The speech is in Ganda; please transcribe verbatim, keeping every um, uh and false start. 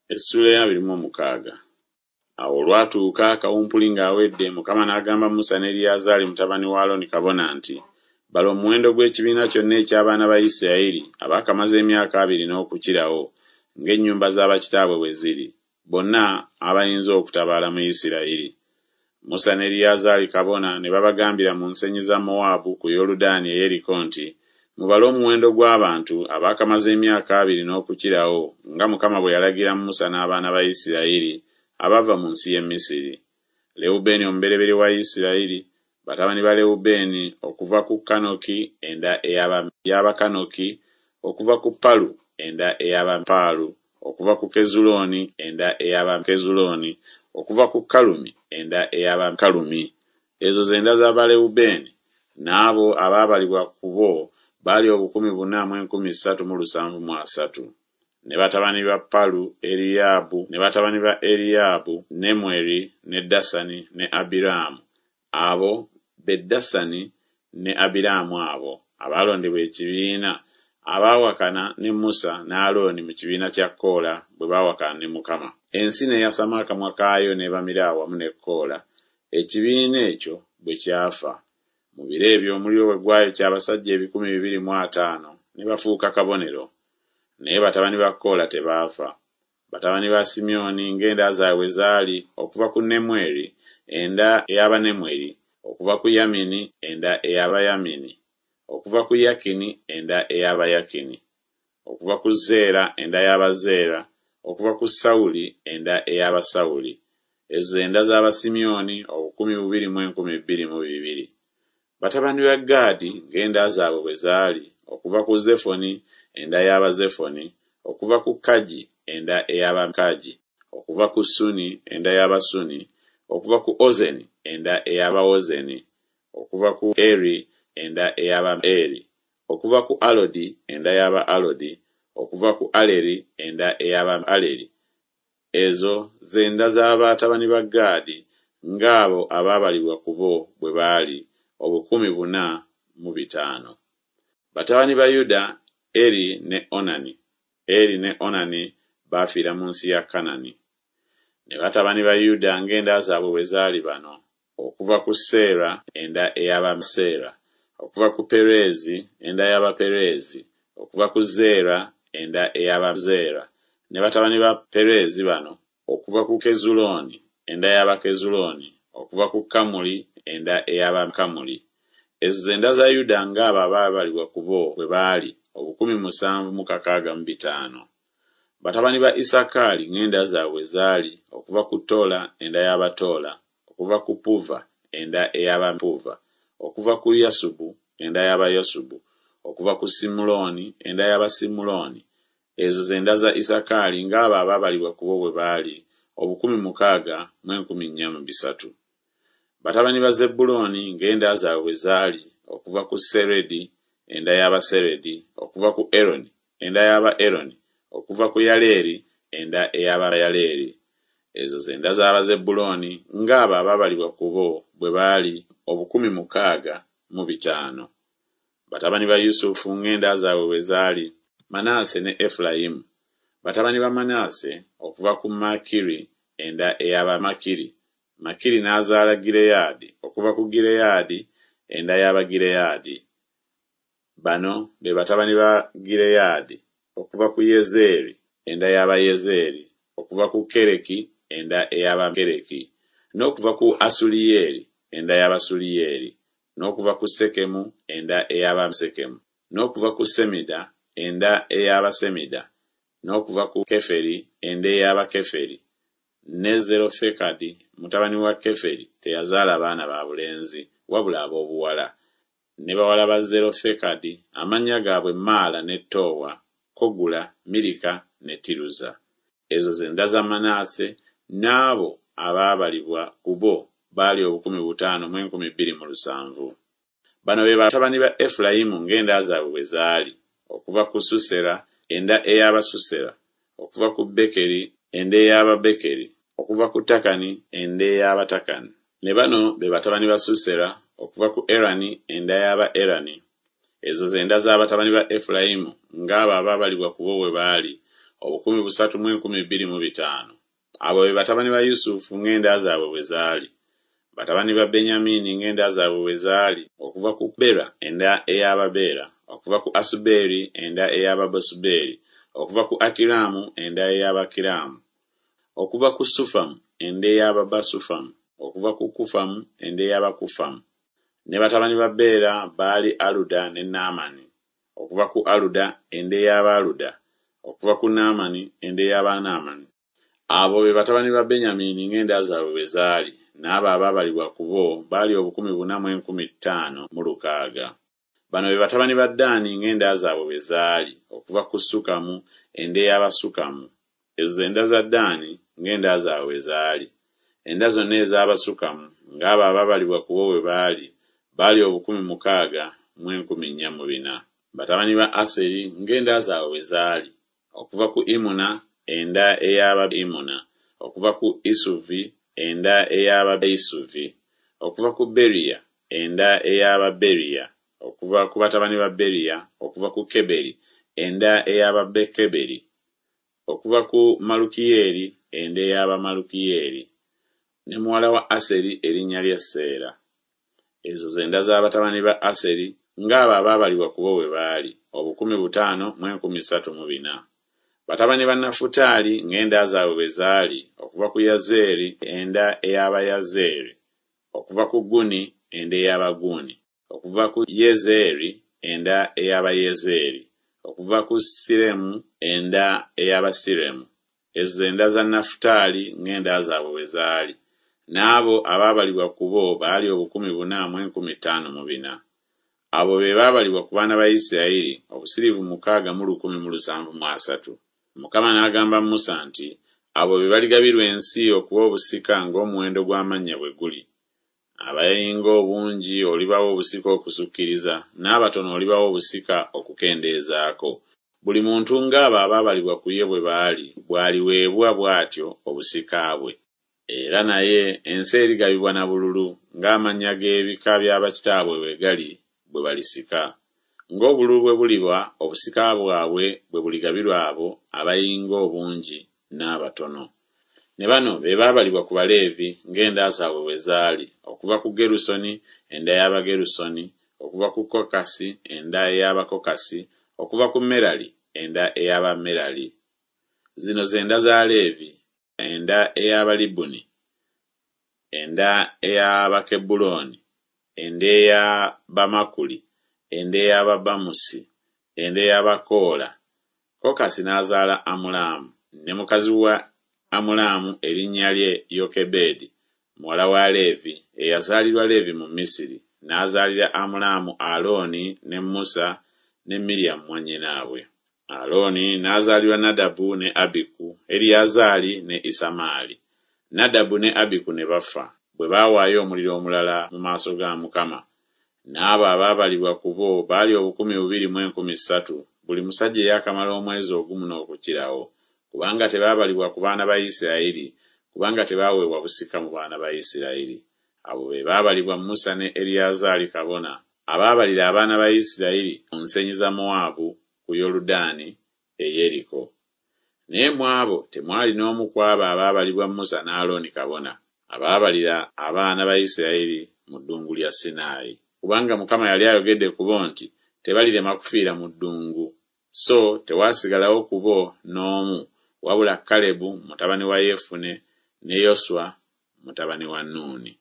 Essuula ya abiri mu mukaaga. Awo olwatuuka kawumpuli ng'awedde, Mukama n'agamba Musa ne Eriyazaali mutabani wa Alooni kabona nti, Bala omuwendo gw'ekibiina kyonna eky'abaana ba Isirayiri abaakamaze emyaka abiri n'okukirawo, ng'ennyumba za bakitaabwe bwe ziri, bonna abayinza okutabaala mu Isirayiri. Musa ne Eriyazaali kabona ne babagambira mu nsenyi za Mowaabu ku Yoludaani e Yeriko nti, Mubale omuwendo gw'abantu abaakamaze emyaka abiri n'okukirawo, nga Mukama bwe yalagira Musa n'abaana ba Isirayiri abava mu nsi y'e Misiri. Lewubeeni omubereberye wa Isirayiri, batabani ba Lewubeeni okuva ku Kanoki enda ey'Abakanoki, okuva ku Palu enda ey'Abapaalu, okuva ku Kezulooni enda ey'Abakezulooni, okuva ku Kalumi enda ey'Abakalumi. Ezo ze nda z'Abalewubeeni, n'abo abaabalibwa ku bo baali obukumi buna mu enkumi ssatu mu lusanvu mu asatu. Ne batabani ba Palu Eriyaabu, ne batabani ba Eriyaabu Nemweri ne Dasani ne Abiraamu. Abo be Dasani ne Abiraamu abo abaalondebwa ekibiina, abaawakana ne Musa ne Alooni mu kibiina kya Koola bwe baawakana ne Mukama. Ensi n'eyasama akamwa kaayo n'ebamira awamu ne Koola, ekibiina ekyo bwe kyafa. Mu biro ebyo omuliro bwe gwayokya abasajja ebikumi bibiri mu ataano, ne bafuuka kabonero. Naye batabani ba Koola tebaafa. Batabani ba Simyoni ng'enda zaabwe bwe zaali, okuva ku Nemweri, enda ey'Abanemweri, okuva ku Yamini, enda ey'Abayamini, okuva ku Yakini, enda ey'Abayakini, okuva ku Zeera, enda y'Abazeera, okuva ku Sawuli, enda ey'Abasawuli. Ezo ze nda z'Abasimyoni obukumi bubiri mu enkumi bbiri mu bibiri. Batabani ba Gaadi ng'enda zaabwe bwe zaali, okuva ku Zefoni, enda y'Abazefoni, okuva ku Kagi, enda ey'Abakagi, okuva ku Suni, enda y'Abasuni, okuva ku Ozeni, enda ey'Abaozeni, okuva ku Eri, enda ey'Abaeri, okuva ku Alodi, enda y'Aba-Alodi, okuva ku Aleri, enda ey'Aba-Aleri. Ezo ze nda z'abatabani ba Gaadi ng'abo abaabalibwa ku bo bwe baali, obukumi buna mu bitaano. Batabani ba Yuda, Eri ne Onani. Eri ne Onani baafiira mu nsi ya Kanani. Ne batabani ba Yuda ng'enda zaabwe bwe zaali bano: okuva ku Seera, enda ey'Abaseera, okuva ku Pereezi, enda y'Abapereezi, okuva ku Zeera, enda ey'Abazeera. Ne batabani ba Pereezi bano: okuva ku Kezulooni, enda y'Abakezulooni, okuva ku Kamuli, enda ey'Abakamuli. Ezo ze nda za Yuda ng'abo abaabalibwa ku bo bwe baali, obukumi musanvu mu kakaaga mu bitaano. Batabani ba Isakaali ng'enda zaabwe bwe zaali, okuva ku Tola, enda y'Abatoola, okuva ku Puva, enda ey'Abapuva, okuva ku Yasubu, enda y'Abayasubu, okuva ku Simulooni, enda y'Abasimulooni. Ezo ze nda za Isakaali ng'abo abaabalibwa ku bo bwe baali, obukumi mukaaga mu enkumi nnya mu bisatu. Batabani ba Zebbulooni ng'enda zaabwe bwe zaali, okuva ku Seredi, enda y'Abaseredi, okuva ku Eroni, enda y'Abaeroni, okuva ku Yaleeri, enda ey'Abayaleeri. Ezo ze nda z'Abazebbulooni ng'abo abaabalibwa ku bo bwe baali, obukumi mukaaga mu bitaano. Batabani ba Yusufu ng'enda zaabwe bwe zaali, Manaase ne Efulayimu. Batabani ba Manaase okuva ku Makiri, enda ey'Abamakiri. Makiri n'azaala Gireyaadi, okuva ku Gireyaadi, enda y'Abagireyaadi. Bano be batabani ba Gireyaadi, okuva ku Yezeeri, enda y'Abayezeeri, okuva ku Kereki, enda ey'Abakereki, n'okuva ku Asuliyeeri, enda y'Abasuliyeeri, n'okuva ku Sekemu, enda ey'Abasekemu, n'okuva ku Semida, enda ey'Abasemida, n'okuva ku Keferi, enda ey'Abakeferi. Ne Zerofekadi mutabani wa Keferi teyazaala baana ba bulenzi, wabula ab'obuwala. Ne bawala ba Zerofekadi amannya gaabwe Maala ne Toowa, Kogula, Mirika ne Tiruza. Ezo ze nda za Manaase, n'abo abaabalibwa ku bo baali obukumi butaano mu enkumi bbiri mu lusanvu. Bano be batabani ba Efulayimu ng'enda zaabwe bwe zaali, okuva ku Susera, enda ey'Abasusera, okuva ku Bekeri, enda ey'Ababekeri, okuva ku Takani, enda ey'Abatakani. Ne bano be batabani ba Susera, okuva ku Erani, enda y'Abaerani. Ezo ze nda z'abatabani ba Efulayimu ng'abo abaabalibwa ku bo bwe baali, obukumi busatu mu enkumi bbiri mu bitaano. Abo be batabani ba Yusufu ng'enda zaabwe bwe zaali. Batabani ba Benyamini ng'enda zaabwe bwe zaali, okuva ku Bera enda ey'Ababeera, okuva ku Asubeeri enda ey'Abasubeeri, okuva ku Akiramu enda ey'Abakiramu, okuva ku Sufamu enda ey'Ababasufamu, okuva ku Kufamu enda ey'Abakufamu. Ne batabani ba Bera baali Aluda ne Naamani, okuva ku Aluda enda ey'Abaaluda, okuva ku Naamani enda ey'Abanaamani. Abo be batabani ba Benyamini ng'enda zaabwe bwe zaali, n'abo abaabalibwa ku bo baali obukumi buna mu enkumi ttaano mu lukaaga. Bano be batabani ba Ddaani ng'enda zaabwe bwe zaali, okuva ku Sukamu enda ey'Abasukamu. Ezo ze nda za Ddaani ng'enda zaabwe bwe zaali. Enda zonna ez'Abasukamu ng'abo abaabalibwa ku bo bwe baali, baali obukumi mukaaga mu enkumi nnya mu bina. Batabani ba Aseri ng'enda zaabwe bwe zaali, okuva ku Imuna enda ey'Abaimuna, okuva ku Isuvi enda ey'Abaisuvi, okuva ku Beriya enda ey'Ababeriya, okuva ku batabani ba Beriya, okuva ku Keberi enda ey'Ababekeberi, okuva ku Malukiyeeri enda ey'Abamalukiyeeri. Ne muwala wa Aseri erinnya lye Seera. Ezo ze nda z'abatabani ba Aseri ng'abo abaabalibwa ku bo bwe baali, obukumi butaano mu enkumi ssatu mu bina. Batabani ba Nafutaali ng'enda zaabwe bwe zaali, okuva ku Yazeeri enda ey'Abayazeeri, okuva ku Guni enda ey'Abaguuni, okuva ku Yezeeri enda ey'Abayezeeri, okuva ku Siremu enda ey'Abasiremu. Ezo ze nda za Nafutaali ng'enda zaabwe bwe zaali. N'abo abaabalibwa ku bo baali obukumi buna mu enkumi ttaano mu bina. Abo be baabalibwa ku baana ba Isirayiri, obusiriivu mukaaga mu lukumi mu lusanvu mu asatu. Mukama n'agamba Musa nti, Abo be baligabirwa ensi okuba obusika ng'omuwendo gw'amannya bwe guli. Abayinga obungi olibawa obusika okusukkiriza, n'abatono olibawa obusika okukendeezaako. Buli muntu ng'abo abaabalibwa ku ye bwe baali, bw'aliweebwa bw'atyo obusika bwe. Era naye ensi erigabibwa na bululu, ng'amannya g'ebika bya bakitaabwe bwe gali bwe balisika. Ng'obululu bwe buliba, obusika bwabwe bwe buligabirwa abo abayinga obungi n'abatono. Ne bano be baabalibwa ku Baleevi ng'enda zaabwe bwe zaali, okuva ku Gerusoni enda y'Abagerusoni, okuva ku Kokasi enda ey'Abakokasi, okuva ku Merali enda ey'Abamerali. Zino ze nda za Leevi, enda ey'Abalibuni, enda ey'Abakebbulooni, enda ey'Abamakuli, enda ey'Ababamusi, enda ey'Abakoola. Kokasi n'azaala Amulaamu, ne mukazi wa Amulaamu erinnya lye Yokebedi, muwala wa Leevi, eyazaalirwa Leevi mu Misiri, n'azaalira Amulaamu Alooni ne Musa ne Miryamu mwannyinaabwe. Alooni n'azaalirwa Nadabu ne Abiku, Eriyazaali ne Isamaali. Nadabu ne Abiku ne bafa, bwe baawaayo omuliro omulala mu maaso ga Mukama. N'abo abaabalibwa ku bo baali obukumi bubiri mu enkumi ssatu, buli musajja eyaakamala omwezi ogumu n'okukirawo, kubanga tebaabalibwa ku baana ba Isirayiri, kubanga tebaaweebwa busika mu baana ba Isirayiri. Abo be baabalibwa Musa ne Eriyazaali kabona, abaabalira abaana ba Isirayiri ku nsenyi za Mowaabu ku Yoludaani e Yeriko. Naye mu abo temwali n'omu ku abo abaabalibwa Musa ne Alooni kabona, abaabalira abaana ba Isirayiri mu ddungu lya Sinaayi. Kubanga Mukama yali ayogedde ku bo nti tebalirema kufiira mu ddungu. So tewaasigalawo ku bo n'omu, wabula Kalebu mutabani wa Yefune ne Yoswa mutabani wa Nuuni.